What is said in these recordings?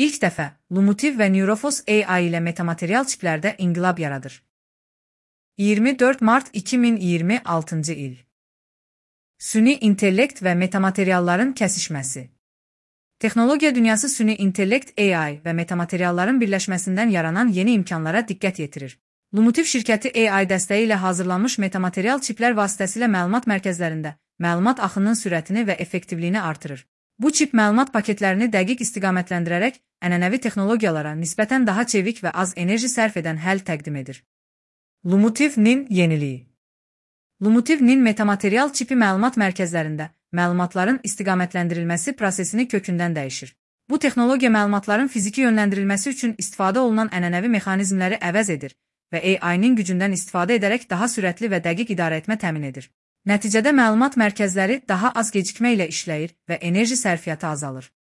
İlk dəfə Lumotiv və Neurofos AI ilə metamaterial çiplərdə inqilab yaradır. 24 mart 2026 il. Süni intellekt və metamaterialların kəsişməsi. Texnologiya dünyası süni intellekt AI və metamaterialların birləşməsindən yaranan yeni imkanlara diqqət yetirir. Lumotiv şirkəti AI dəstəyi ilə hazırlanmış metamaterial çiplər vasitəsilə məlumat mərkəzlərində məlumat axınının sürətini və effektivliyini artırır. Bu çip məlumat paketlərini dəqiq istiqamətləndirərək ənənəvi texnologiyalara nisbətən daha çevik və az enerji sərf edən həll təqdim edir. Lumotiv-nin yeniliyi. Lumotiv-nin metamaterial çipi məlumat mərkəzlərində məlumatların istiqamətləndirilməsi prosesini kökündən dəyişir. Bu texnologiya məlumatların fiziki yönləndirilməsi üçün istifadə olunan ənənəvi mexanizmləri əvəz edir və AI-nin gücündən istifadə edərək daha sürətli və dəqiq idarəetmə təmin edir. Nəticədə məlumat mərkəzləri daha az gecikmə ilə işləyir və enerji sərfiyyatı azalır.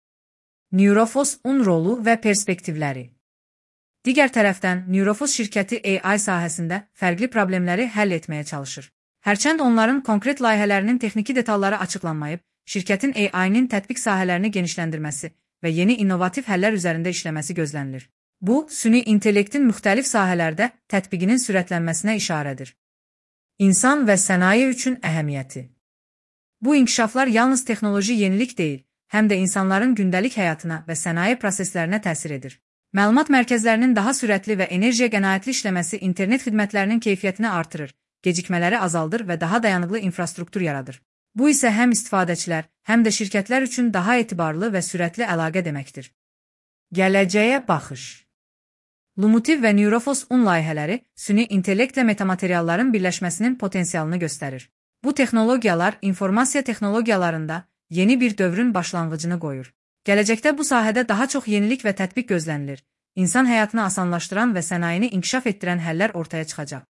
Neurofos-un rolu və perspektivləri. Digər tərəfdən, Neurofos şirkəti AI sahəsində fərqli problemləri həll etməyə çalışır. Hərçənd onların konkret layihələrinin texniki detalları açıqlanmayıb, şirkətin AI-nin tətbiq sahələrini genişləndirməsi və yeni innovativ həllər üzərində işləməsi gözlənilir. Bu, süni intellektin müxtəlif sahələrdə tətbiqinin sürətlənməsinə işarədir. İnsan və sənaye üçün əhəmiyyəti. Bu inkişaflar yalnız texnoloji yenilik deyil, həm də insanların gündəlik həyatına və sənaye proseslərinə təsir edir. Məlumat mərkəzlərinin daha sürətli və enerjiyə qənaətli işləməsi internet xidmətlərinin keyfiyyətini artırır, gecikmələri azaldır və daha dayanıqlı infrastruktur yaradır. Bu isə həm istifadəçilər, həm də şirkətlər üçün daha etibarlı və sürətli əlaqə deməkdir. Gələcəyə baxış. Lumotiv və Neurofos-un layihələri süni intellektlə metamaterialların birləşməsinin potensialını göstərir. Bu texnologiyalar informasiya texnologiyalarında yeni bir dövrün başlanğıcını qoyur. Gələcəkdə bu sahədə daha çox yenilik və tətbiq gözlənilir. İnsan həyatını asanlaşdıran və sənayeni inkişaf etdirən həllər ortaya çıxacaq.